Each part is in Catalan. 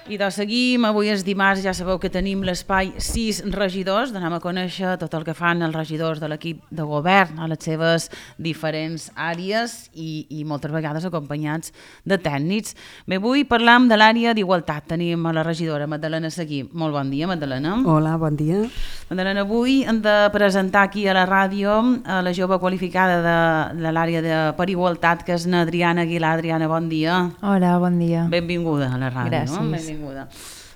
I doncs seguim, avui és dimarts, ja sabeu que tenim l'espai 6 regidors, d'anem a conèixer tot el que fan els regidors de l'equip de govern a les seves diferents àrees i moltes vegades acompanyats de tècnics. Bé, avui parlam de l'àrea d'igualtat, tenim a la regidora Magdalena Seguí. Molt bon dia, Magdalena. Hola, bon dia. Magdalena, avui hem de presentar aquí a la ràdio a la jove qualificada de l'àrea per igualtat, que és na Adriana Aguilar. Adriana, bon dia. Hola, bon dia. Benvinguda a la ràdio. Gràcies. No? Benvinguda.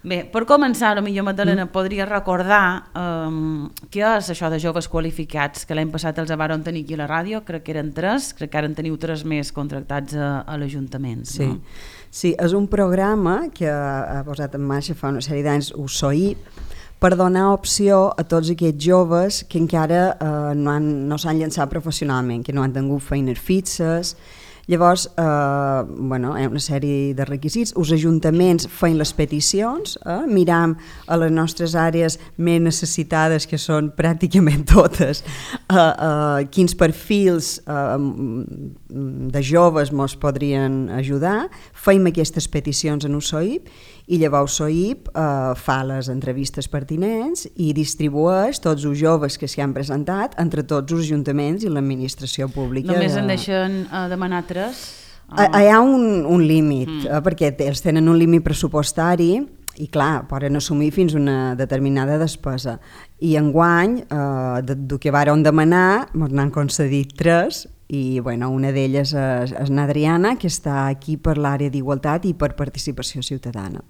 Bé, per començar, potser Magdalena podria recordar què és això de joves qualificats, que l'any passat els varen tenir aquí a la ràdio, crec que eren 3, crec que ara en teniu 3 més contractats a l'Ajuntament. Sí. No? Sí, és un programa que ha posat en marxa fa una sèrie d'anys USOIP per donar opció a tots aquests joves que encara no s'han llançat professionalment, que no han tingut feines fixes. Llavors, hi ha una sèrie de requisits. Els ajuntaments feien les peticions, miram a les nostres àrees més necessitades, que són pràcticament totes, quins perfils de joves ens podrien ajudar, feim aquestes peticions en USOIP i llavors USOIP fa les entrevistes pertinents i distribueix tots els joves que s'hi han presentat entre tots els ajuntaments i l'administració pública. Només en deixen demanar 3? Hi ha un límit, perquè ells tenen un límit pressupostari i clar, poden assumir fins una determinada despesa. I enguany, del que vàrem demanar, ens n'han concedit 3 i una d'elles és n'Adriana, que està aquí per l'àrea d'igualtat i per participació ciutadana.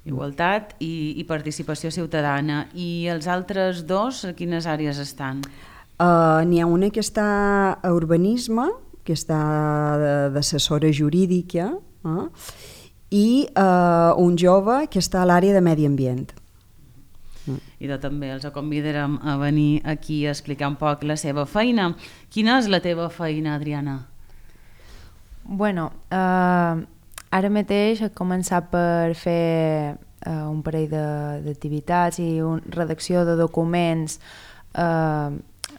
Igualtat i participació ciutadana. I els altres 2, a quines àrees estan? N'hi ha una que està a urbanisme, que està d'assessora jurídica, i un jove que està a l'àrea de medi ambient. I també els convidarem a venir aquí a explicar un poc la seva feina. Quina és la teva feina, Adriana? Bueno, ara mateix he començat per fer un parell d'activitats i redacció de documents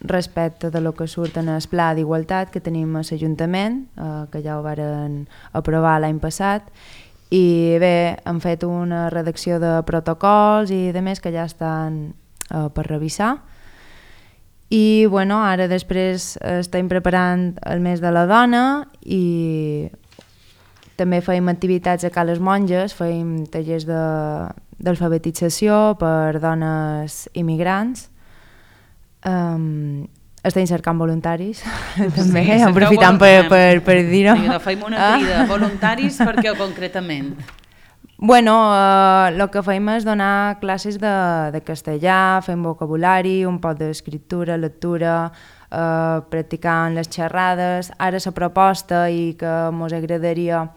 respecte de lo que surt en el pla d'igualtat que tenim a l'Ajuntament, que ja ho varen aprovar l'any passat. I bé, hem fet una redacció de protocols i de més que ja estan per revisar. I ara després estem preparant el mes de la dona i també feim activitats a Cales Monges, feim tallers d'alfabetització per dones immigrants. Estem cercant voluntaris, també, aprofitant per dir-ho. Feim una crida, voluntaris per què concretament? El que feim és donar classes de castellà, fem vocabulari, un poc d'escriptura, lectura, practicant les xerrades. Ara la proposta i que ens agradaria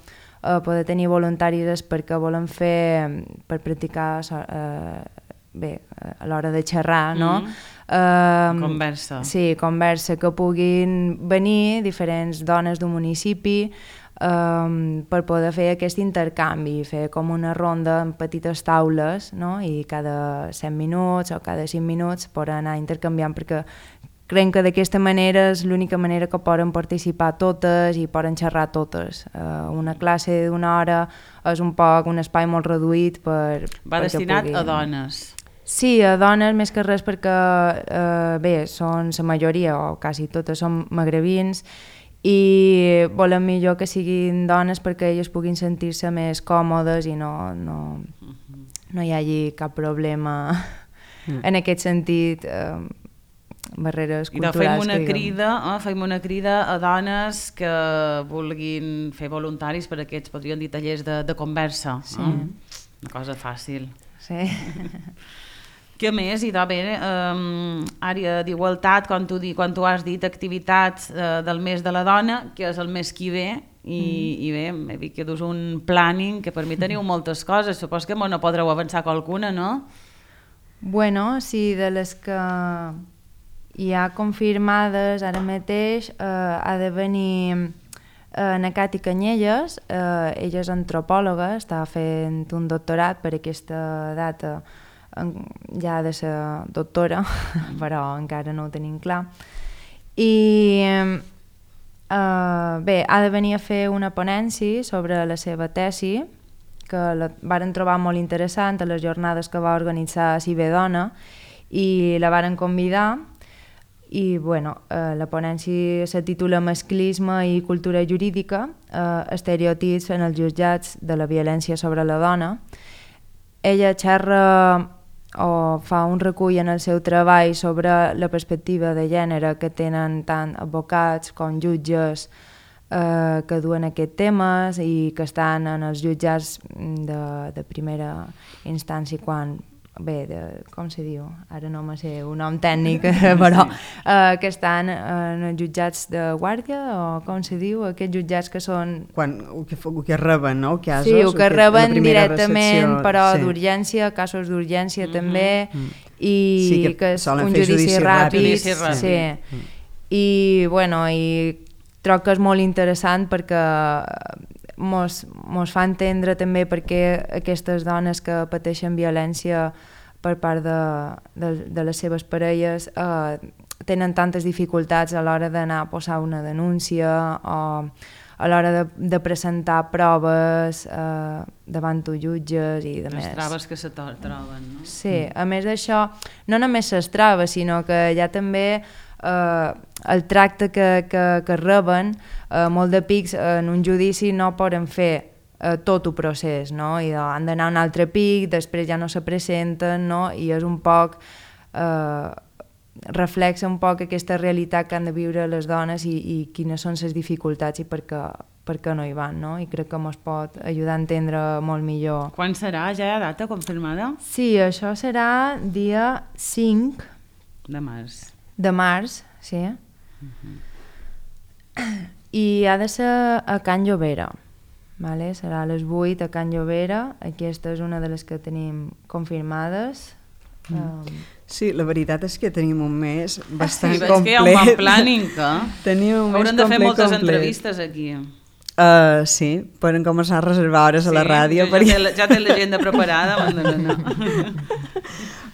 poder tenir voluntaris és perquè volem fer per practicar a l'hora de xerrar, no? Conversa. Sí, conversa, que puguin venir diferents dones d'un municipi per poder fer aquest intercanvi, fer com una ronda en petites taules, no? I cada 100 minuts o cada 5 minuts poden anar intercanviant, perquè creiem que d'aquesta manera és l'única manera que poden participar totes i poden xerrar totes. Una classe d'una hora és un espai molt reduït per... Va destinat a dones. Sí, a dones més que res perquè són la majoria o quasi totes són magrebins i volem millor que siguin dones perquè elles puguin sentir-se més còmodes i no hi hagi cap problema en aquest sentit, barreres culturals. I fem una crida a dones que vulguin fer voluntaris per aquests, podríem dir, tallers de conversa. Sí. Una cosa fàcil. Sí. Què més? I àrea d'igualtat, quan tu has dit activitats del mes de la dona, que és el mes que ve, i bé, he vist que dus un planning, que per mi teniu moltes coses, supos que no podreu avançar qualcuna, no? Sí, de les que hi ha confirmades ara mateix, ha de venir na Cati Canyelles, ella és antropòloga, està fent un doctorat per aquesta data, ja ha de ser doctora, però encara no ho tenim clar. I ha de venir a fer una ponència sobre la seva tesi, que la varen trobar molt interessant a les jornades que va organitzar Cibedona i la varen convidar i bueno, la ponència se titula Masclisme i cultura jurídica, estereotips en els jutjats de la violència sobre la dona. Ella xerra o fa un recull en el seu treball sobre la perspectiva de gènere que tenen tant advocats com jutges que duen aquests temes i que estan en els jutjats de primera instància quan... com se diu? Ara no me sé un nom tècnic, però que estan en els jutjats de guàrdia o com se diu? Aquests jutjats que són... El que reben, no? Casos, sí, el que reben directament, recepció, però sí. D'urgència, casos d'urgència també, i sí, que és un fer judici ràpid. Sí. I bueno, i trobo que és molt interessant perquè mos fa entendre també perquè aquestes dones que pateixen violència per part de les seves parelles tenen tantes dificultats a l'hora d'anar a posar una denúncia o a l'hora de presentar proves davant els jutges i de més. Les traves que se troben, no? Sí, a més d'això, no només les traves, sinó que hi ha també el tracte que reben, molt de pics en un judici no poden fer tot el procés, no? I han d'anar a un altre pic, després ja no se presenten, no? I és un poc reflexa un poc aquesta realitat que han de viure les dones i quines són les dificultats i per què no hi van, no? I crec que ens pot ajudar a entendre molt millor. Quan serà? Ja hi ha data confirmada? Sí, això serà dia 5 de març. De març, sí. I ha de ser a Can Llobera, vale? Serà a les 8 a Can Llobera. Aquesta és una de les que tenim confirmades. Sí, la veritat és que tenim un mes bastant complet. Sí, veig que hi ha un bon planning, que tenim un mes haurem de fer moltes complet. entrevistes aquí. Sí, poden començar a reservar hores a la ràdio. Ja té l'agenda preparada.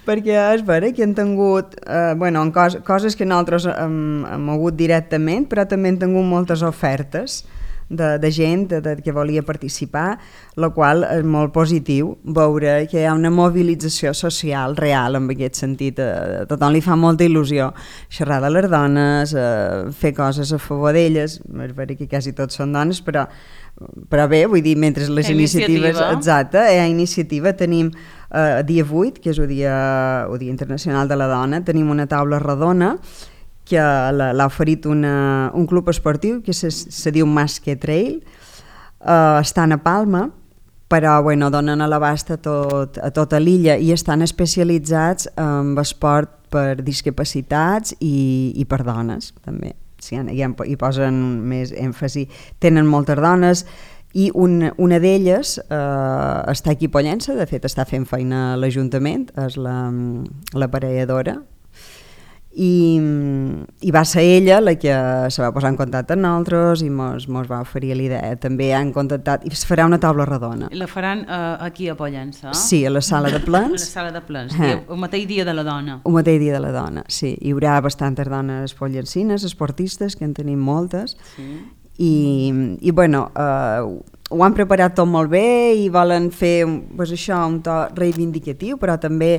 Perquè és vera que han tingut coses que nosaltres hem mogut directament, però també han tingut moltes ofertes de gent que volia participar, la qual és molt positiu veure que hi ha una mobilització social real en aquest sentit. A tothom li fa molta il·lusió xerrar de les dones, fer coses a favor d'elles. És vera que quasi tots són dones, però bé, vull dir, mentre les iniciatives... Exacte, hi ha iniciativa. Tenim dia 8, que és el Dia Internacional de la Dona, tenim una taula rodona que l'ha oferit un club esportiu que se diu Masque Trail, estan a Palma, però donen a l'abast a tota l'illa i estan especialitzats en esport per discapacitats i per dones també. Sí, hi posen més èmfasi. Tenen moltes dones i una d'elles està aquí a Pollença, de fet està fent feina a l'Ajuntament, és l'aparelladora, i va ser ella la que se va posar en contacte amb nosaltres i mos va oferir l'idea. També han contactat i es farà una taula rodona. I la faran aquí a Pollença? Sí, a la sala de plens. A la sala de plens, el mateix dia de la dona. El mateix dia de la dona, sí. Hi haurà bastantes dones pollencines, esportistes, que en tenim moltes, sí. I ho han preparat tot molt bé i volen fer això, un to reivindicatiu, però també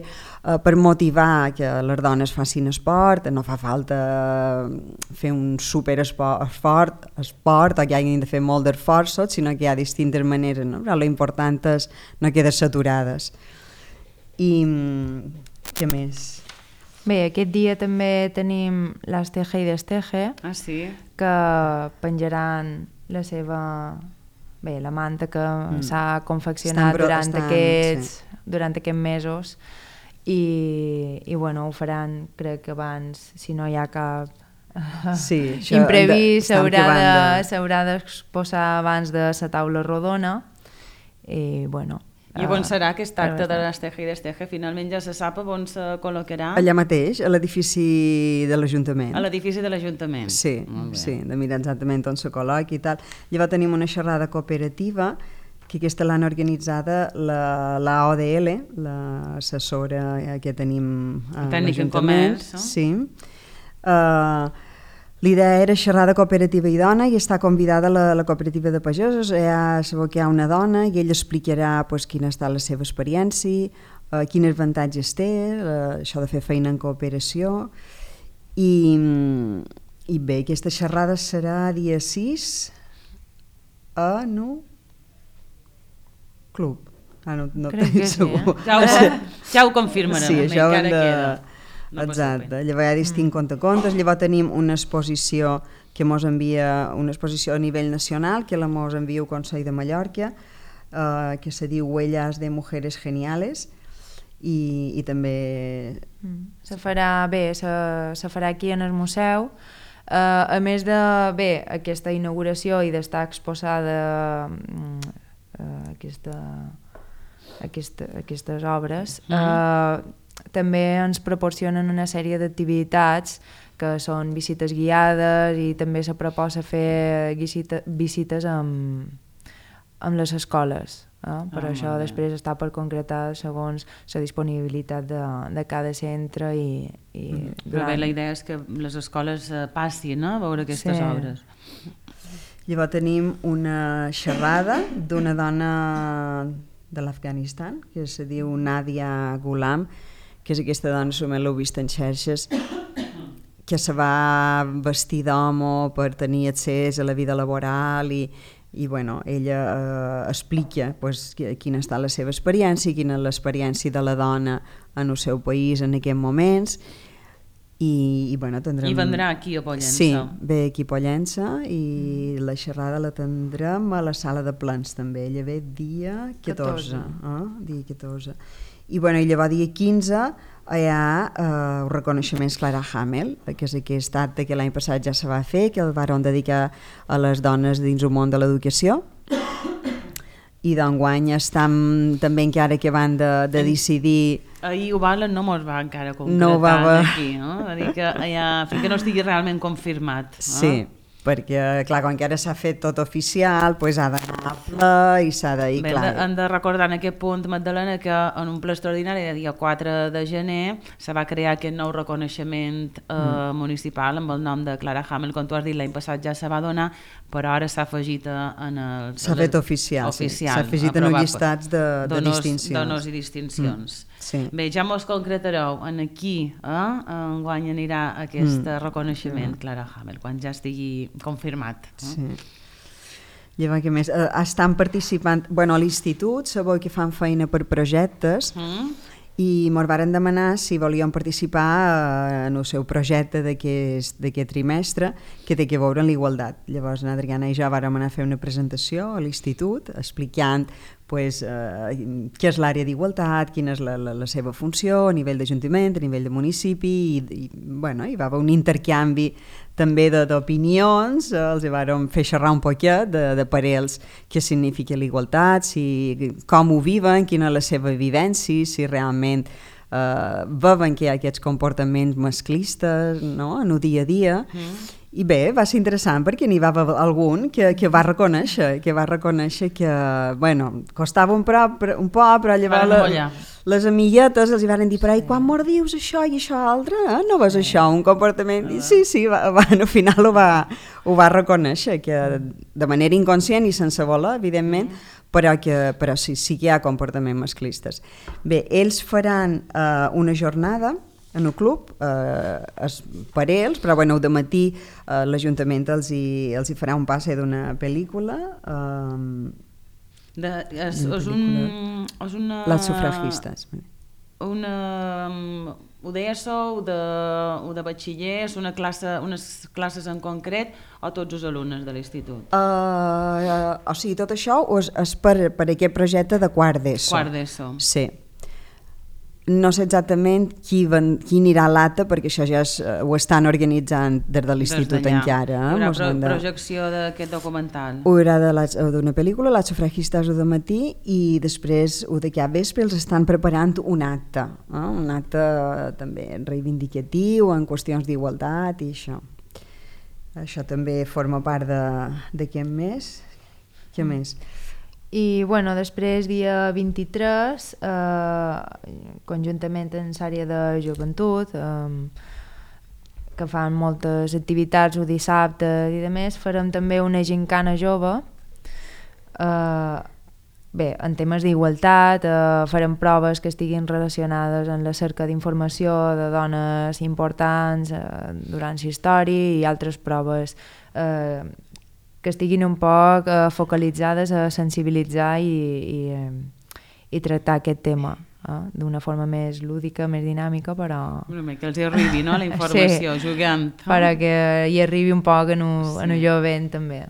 per motivar que les dones facin esport. No fa falta fer un superesport o que hagin de fer molt d'esforços, sinó que hi ha distintes maneres, no? Però l'important és no quedar saturades. I què més? Bé, aquest dia també tenim l'Asteje i Desteje, que penjaran la seva... Bé, la manta que s'ha confeccionat durant aquests mesos i ho faran, crec que abans, si no hi ha cap imprevist, s'haurà d'exposar abans de la taula rodona i I on serà aquest acte de l'Asteje i Desteje? Finalment ja se sap on se col·locarà? Allà mateix, a l'edifici de l'Ajuntament. A l'edifici de l'Ajuntament? Sí, de mirar exactament on se col·loqui i tal. Llavors tenim una xerrada cooperativa, que aquesta l'han organitzada la ODL, l'assessora que tenim a l'Ajuntament. Tècnic en comerç. Sí. L'idea era xerrar de cooperativa i dona i està convidada la cooperativa de pagesos. Sabeu que hi ha una dona i ella explicarà pues, quina està la seva experiència, quins avantatges té, això de fer feina en cooperació. I bé, aquesta xerrada serà dia 6 a Club. No tinc segur. Ja ho confirmarem. Sí, això encara queda. Exacte, llavors hi ha distints contacontes, llavors tenim una exposició que mos envia, una exposició a nivell nacional que la mos envia el Consell de Mallorca, que se diu Huellas de Mujeres Geniales, i també... Se farà aquí en el museu. A més de aquesta inauguració i d'estar exposada aquestes obres, també ens proporcionen una sèrie d'activitats que són visites guiades i també se proposa fer visites amb les escoles. Per això després està per concretar segons la disponibilitat de cada centre Però bé, la idea és que les escoles passin a veure aquestes obres. Llavors tenim una xerrada d'una dona de l'Afganistan que se diu Nadia Ghulam, que és aquesta dona, si l'heu vist en xarxes, que se va vestir d'home per tenir accés a la vida laboral i bueno, ella explica pues, quina està la seva experiència, quina és l'experiència de la dona en el seu país en aquests moments. I bueno, tindrem... I vendrà aquí a Pollença. Sí, ve aquí a Pollença i la xerrada la tindrem a la sala de plens també. Ella ve dia 14. Dia 14. I bueno, llavors dia 15 hi ha el reconeixement Clara Hamel, que és aquest acte que l'any passat ja se va fer, que el van dedicar a les dones dins el món de l'educació. I d'enguany estem també encara que van de decidir... Ahir ho valen, no mos va encara concretar aquí, no? Va dir que fins que no estigui realment confirmat. Sí, perquè clar, quan encara s'ha fet tot oficial, doncs ha d'anar a ple i s'ha de... Bé, hem de recordar en aquest punt, Magdalena, que en un ple extraordinari de dia 4 de gener se va crear aquest nou reconeixement municipal amb el nom de Clara Hamel, com tu has dit, l'any passat ja se va donar, però ara s'ha afegit en el... S'ha fet oficial, sí. S'ha afegit en els llistats de distincions. D'honors i distincions. Sí. Bé, ja mos concretareu en aquí, enguany anirà aquest reconeixement Clara Hamel, quan ja estigui confirmat. Sí. Llavors, què més? Estan participant... Bueno, a l'institut sabeu que fan feina per projectes i ens varen demanar si volíem participar en el seu projecte d'aquest trimestre que té que veure amb l'igualtat. Llavors, l'Adriana i jo vàrem anar a fer una presentació a l'institut explicant pues, què és l'àrea d'igualtat, quina és la seva funció a nivell d'Ajuntament, a nivell de municipi bueno, hi va haver un intercanvi també d'opinions, els vàrem fer xerrar un poquet de parells què significa l'igualtat, com ho viven, quina és la seva vivència, si realment veuen que hi ha aquests comportaments masclistes no? En el dia a dia. I bé, va ser interessant perquè n'hi va haver algun que va reconèixer que, bueno, costava un poc, però llavors les amiguetes els hi van dir, però quan mos dius això i això altre, no veus això, un comportament? I sí, al final ho va reconèixer, que de manera inconscient i sense voler, evidentment, però sí que hi ha comportaments masclistes. Bé, ells faran una jornada en el club, per ells, però bueno, de matí l'Ajuntament els hi farà un passe d'una pel·lícula. És una... Les sufragistes. Ho deies o de batxiller, és unes classes en concret o tots els alumnes de l'institut? O sigui, tot això és per aquest projecte de quart d'ESO. Quart d'ESO. Sí. No sé exactament qui anirà a l'ATA, perquè això ja ho estan organitzant des de l'institut encara. Hi haurà projecció d'aquest documental? Hi haurà d'una pel·lícula, Les sufragistes de matí, i després de cap vespre els estan preparant un acte també reivindicatiu en qüestions d'igualtat i això. Això també forma part d'aquest mes. Què més? I bueno, després, dia 23, conjuntament amb l'àrea de joventut, que fan moltes activitats o dissabtes i de més, farem també una gincana jove. Bé, en temes d'igualtat, farem proves que estiguin relacionades amb la cerca d'informació de dones importants durant la història i altres proves que estiguin un poc focalitzades a sensibilitzar i tractar aquest tema d'una forma més lúdica, més dinàmica, però... Que els hi arribi, no?, la informació, sí, jugant. Perquè hi arribi un poc en un jovent, també.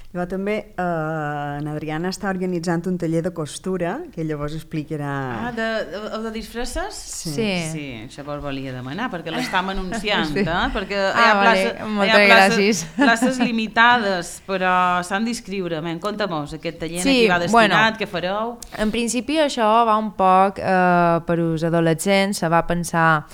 Llavors també Adriana està organitzant un taller de costura que llavors explicarà... De disfresses? Sí. Sí, això vos volia demanar, perquè l'estam anunciant, sí. Perquè hi ha places limitades, però s'han d'inscriure. Conta-mos, aquest taller a qui va destinat, què fareu? En principi això va un poc per als adolescents, se va pensar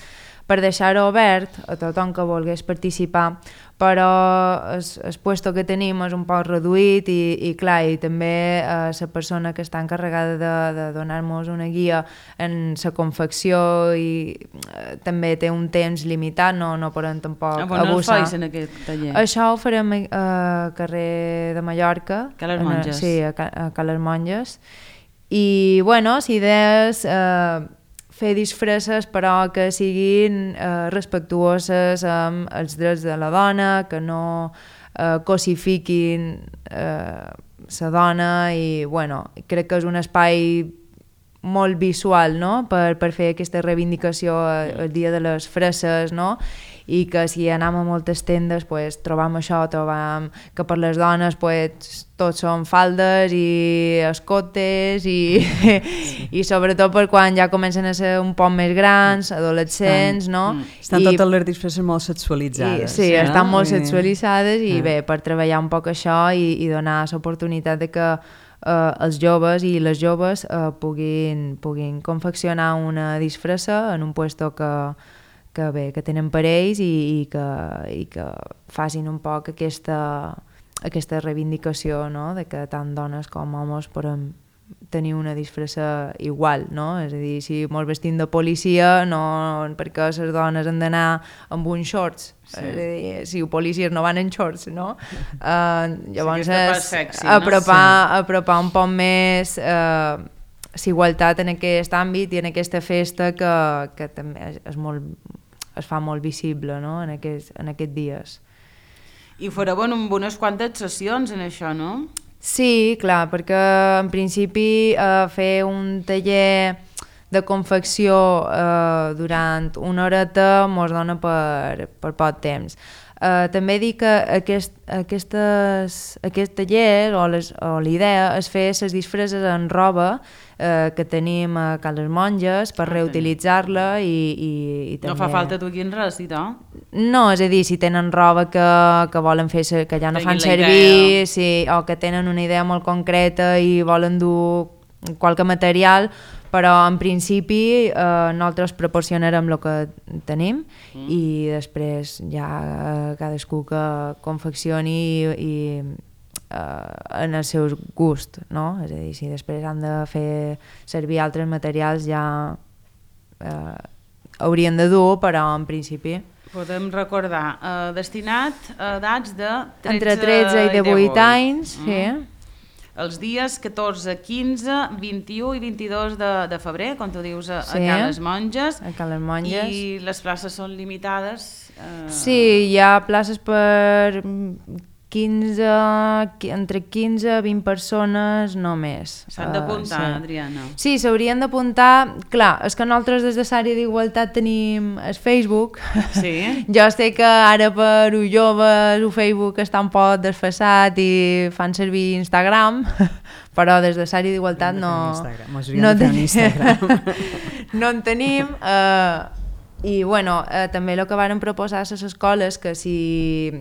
per deixar-ho obert a tothom que volgués participar, però el puesto que tenim és un poc reduït i clar, i també la persona que està encarregada de donar-nos una guia en la confecció i també té un temps limitat, no podem tampoc abusar. On el feis en aquest taller? Això ho farem a carrer de Mallorca. A les Monges. Sí, a les Monges. I bueno, la idea és fer disfresses però que siguin respectuoses amb els drets de la dona, que no cosifiquin la dona i bueno, crec que és un espai molt visual, no?, per fer aquesta reivindicació el dia de les fresses, no?, i que si anem a moltes tendes pues, trobam això, trobam que per les dones pues, tots són faldes i escotes i sobretot per quan ja comencen a ser un poc més grans, adolescents, no? Estan totes les disfresses molt sexualitzades. Sí, estan molt sexualitzades i bé, per treballar un poc això i donar l'oportunitat de que els joves i les joves puguin confeccionar una disfressa en un puesto que tenen per ells i que facin un poc aquesta reivindicació, no?, de que tant dones com homes podem tenir una disfressa igual, no? És a dir, si ens vestim de policia, no perquè les dones han d'anar amb uns shorts, és a dir, si els policies no van en shorts, no? Llavors apropar un poc més la igualtat en aquest àmbit i en aquesta festa que també es fa molt visible, no?, en aquests dies. I fareu amb unes quantes sessions en això, no? Sí, clar, perquè en principi fer un taller de confecció durant una horeta mos dona per poc temps. També dic que aquest taller o l'idea és fer les disfresses en roba que tenim a les Monges per reutilitzar-la i també... No fa falta tu aquí en res, i tal? No, és a dir, si tenen roba que volen fer, que ja no fan servir, o que tenen una idea molt concreta i volen dur qualque material, però en principi nosaltres proporcionarem el que tenim i després ja cadascú que confeccioni i en el seu gust, no? És a dir, si després han de fer servir altres materials ja haurien de dur, però en principi... Podem recordar, destinat a edats de 13 entre 13 i 18 anys, sí. Els dies 14, 15, 21 i 22 de febrer, com tu dius, a Cales Monges. A Cales Monges. I les places són limitades? Sí, hi ha places per entre 15 i 20 persones només. S'han d'apuntar, Adriana. Sí, s'haurien d'apuntar. Clar, és que nosaltres des de l'àrea d'igualtat tenim el Facebook. Sí. Jo sé que ara per els joves el Facebook està un poc desfasat i fan servir Instagram, però des de l'àrea d'igualtat no en tenim. I bueno, també el que varen proposar a les escoles que si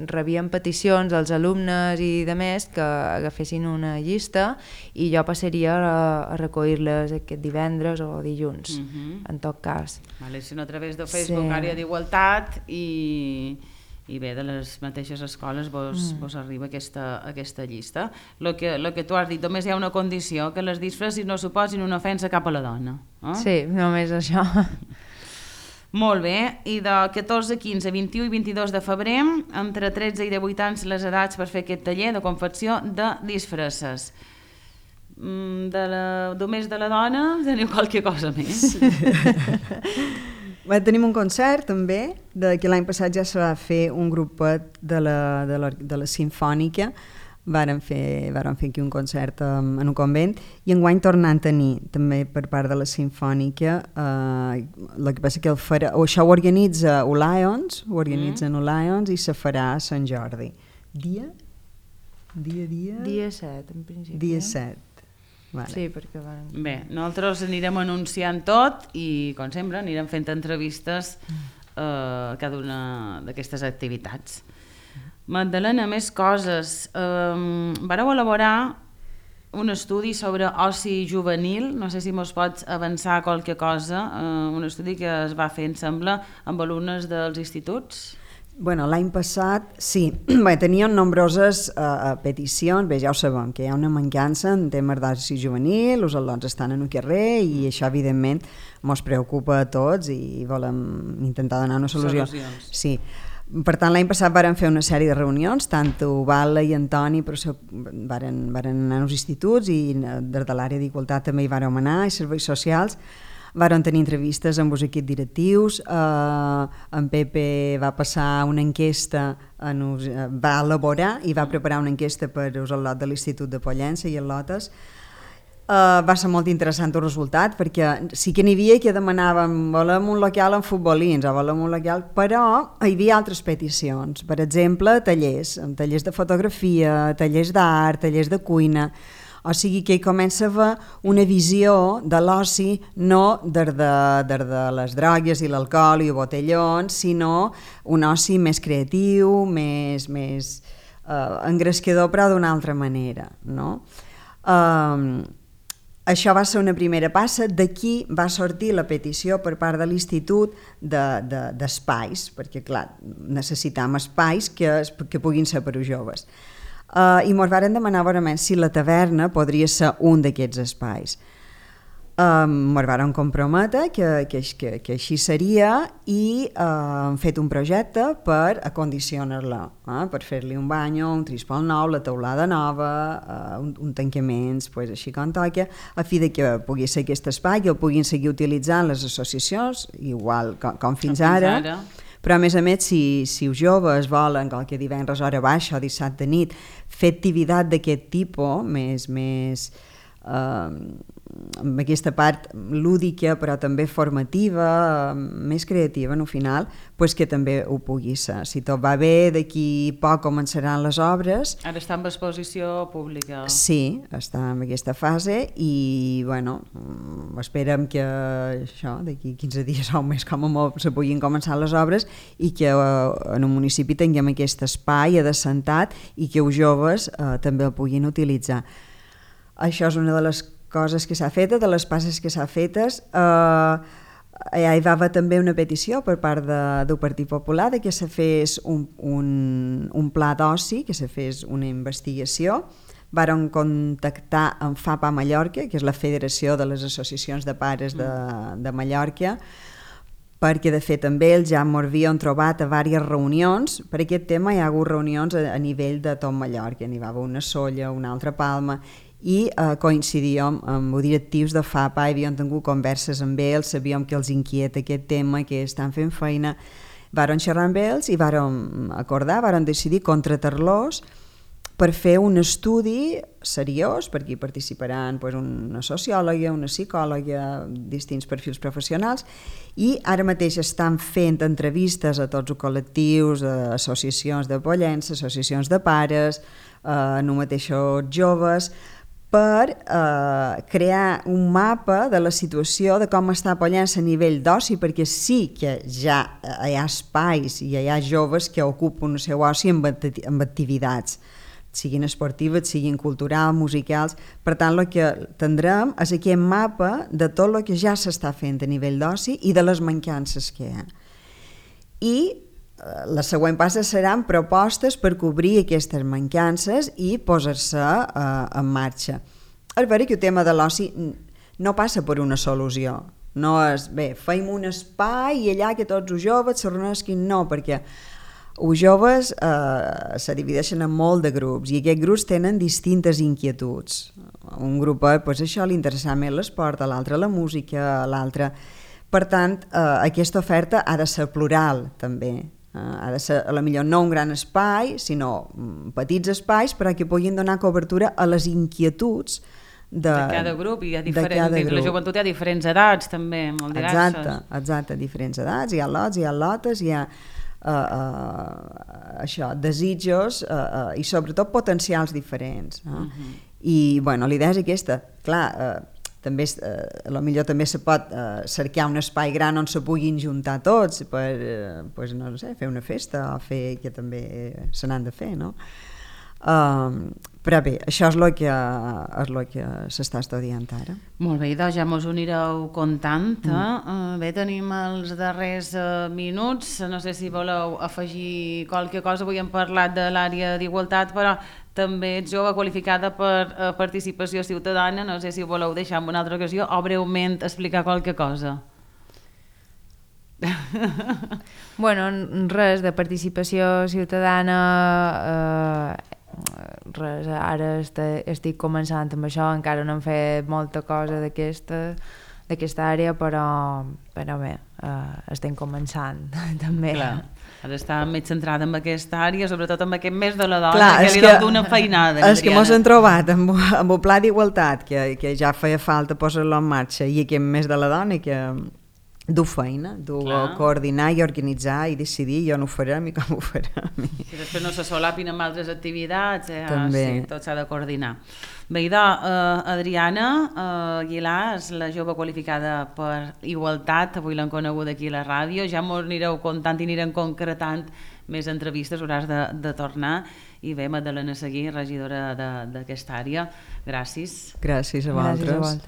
rebien peticions als alumnes i de més que agafessin una llista i jo passaria a recollir-les aquest divendres o dilluns, en tot cas. Vale, si no a través de Facebook, àrea d'igualtat i bé, de les mateixes escoles vos arriba aquesta llista. El que tu has dit, només hi ha una condició, que les disfresses no suposin una ofensa cap a la dona. Sí, només això. Molt bé, i de 14, 15, 21 i 22 de febrer, entre 13 i 18 anys les edats per fer aquest taller de confecció de disfresses. Només de la dona teniu qualque cosa més? Tenim un concert també, que l'any passat ja se va fer un grupet de la Simfònica. Varen fer aquí un concert en un convent i enguany tornant a tenir també per part de la Simfònica. El que passa que això ho organitza Lions, i se farà a Sant Jordi. Dia 7 en principi. Dia 7. Vale. Sí, perquè van... Bé, nosaltres anirem anunciant tot i, com sempre, anirem fent entrevistes a cada una d'aquestes activitats. Magdalena, més coses. Vareu elaborar un estudi sobre oci juvenil, no sé si mos pots avançar qualque cosa, un estudi que es va fer, em sembla, amb alumnes dels instituts? Bueno, l'any passat, sí, teníem nombroses peticions, bé, ja ho sabem, que hi ha una mancança en temes d'oci juvenil, els al·lots estan en el carrer i això, evidentment, mos preocupa a tots i volem intentar donar una solució. Solucions. Sí. Per tant, l'any passat varen fer una sèrie de reunions, tant Vala i Antoni varen anar als instituts i des de l'àrea d'igualtat també hi vàrem anar, i serveis socials. Varen tenir entrevistes amb els equips directius, en Pepe va passar una enquesta, va elaborar i va preparar una enquesta per al lot de l'Institut de Pollença i el Lotes. Va ser molt interessant el resultat perquè sí que n'hi havia que demanàvem volem un local amb futbolins o volem un local, però hi havia altres peticions, per exemple tallers de fotografia, tallers d'art, tallers de cuina, o sigui que hi comença a haver una visió de l'oci no des de les drogues i l'alcohol i els botellons, sinó un oci més creatiu, més engrescador, però d'una altra manera, no? Això va ser una primera passa, d'aquí va sortir la petició per part de l'Institut d'espais, perquè clar, necessitam espais que puguin ser per als joves. I ens varen demanar si la taverna podria ser un d'aquests espais. Ens varen comprometre que així seria i hem fet un projecte per acondicionar-la, per fer-li un banyo, un trispol nou, la teulada nova, un tancament, així com toca, a fi de que pugui ser aquest espai i el puguin seguir utilitzant les associacions, igual com fins ara. Però a més, si els joves volen qualque divendres hora baixa o dissabte nit fer activitat d'aquest tipus, més amb aquesta part lúdica però també formativa, més creativa al final, que també ho pugui ser. Si tot va bé, d'aquí poc començaran les obres. Ara està en exposició pública. Sí, està en aquesta fase i esperem que d'aquí 15 dies o un mes com a molt se puguin començar les obres i que en un municipi tinguem aquest espai assentat i que els joves també el puguin utilitzar. Això és una de les coses que s'ha fet, de les passes que s'ha fetes. Hi va haver també una petició per part del Partit Popular que se fes un pla d'oci, que se fes una investigació. Varen contactar amb FAPA Mallorca, que és la Federació de les Associacions de Pares de Mallorca, perquè de fet també ells ja m'ho havien trobat a diverses reunions. Per aquest tema hi ha hagut reunions a nivell de tot Mallorca, n'hi va haver una a Sóller, una altra a Palma, i coincidíem amb els directius de FAPA, havíem tingut converses amb ells, sabíem que els inquieta aquest tema, que estan fent feina. Varen xerrar amb ells i varen acordar, varen decidir contratar-los per fer un estudi seriós, perquè hi participaran una sociòloga, una psicòloga, distints perfils professionals, i ara mateix estan fent entrevistes a tots els col·lectius, associacions de Pollença, associacions de pares, no mateixos joves, per crear un mapa de la situació de com està Pollença a nivell d'oci, perquè sí que ja hi ha espais i hi ha joves que ocupen el seu oci amb activitats, siguin esportives, siguin culturals, musicals. Per tant, el que tindrem és aquest mapa de tot el que ja s'està fent a nivell d'oci i de les mancances que hi ha. I la següent passa seran propostes per cobrir aquestes mancances i posar-se en marxa. És veritat que el tema de l'oci no passa per una solució, No és, bé, feim un espai i allà que tots els joves se reunisquin, no, perquè els joves se divideixen en molt de grups i aquests grups tenen distintes inquietuds. Un grupet, doncs això, li interessa més l'esport, a l'altre la música, a l'altre... Per tant, aquesta oferta ha de ser plural, també. Ha de ser, potser no un gran espai, sinó petits espais perquè puguin donar cobertura a les inquietuds de cada grup. I la joventut hi ha diferents edats, també, molt diverses. Exacte, diferents edats, hi ha lots, hi ha lotes, hi ha això, desitjos i sobretot potencials diferents. I bueno, la idea és aquesta, clar, també potser també se pot cercar un espai gran on se puguin juntar tots per no sé, fer una festa o fer que també se n'han de fer, no? Però bé, això és el que s'està estudiant ara. Molt bé, doncs ja mos ho anireu contant. Bé, tenim els darrers minuts, no sé si voleu afegir qualque cosa. Avui hem parlat de l'àrea d'igualtat, però també ets jove qualificada per participació ciutadana, no sé si ho voleu deixar en una altra ocasió o breument explicar qualque cosa. Bueno, res de participació ciutadana, res, ara estic començant amb això, encara no hem fet molta cosa d'aquesta àrea, però bé, estem començant també. Clar. Ara està més centrada en aquesta àrea, sobretot en aquest mes de la dona, que li dona una feinada. És que mos hem trobat amb el pla d'igualtat, que ja feia falta posar-lo en marxa, i aquest mes de la dona que du feina, coordinar i organitzar i decidir jo no ho farem i com ho farem. Si després no se solapin amb altres activitats, també. Sí, tot s'ha de coordinar. Bé, Adriana Aguilar és la jove qualificada per igualtat, avui l'hem conegut aquí a la ràdio, ja m'ho anireu contant i anirem concretant més entrevistes, hauràs de tornar. I bé, Magdalena Seguí, regidora d'aquesta àrea, gràcies. Gràcies a vosaltres.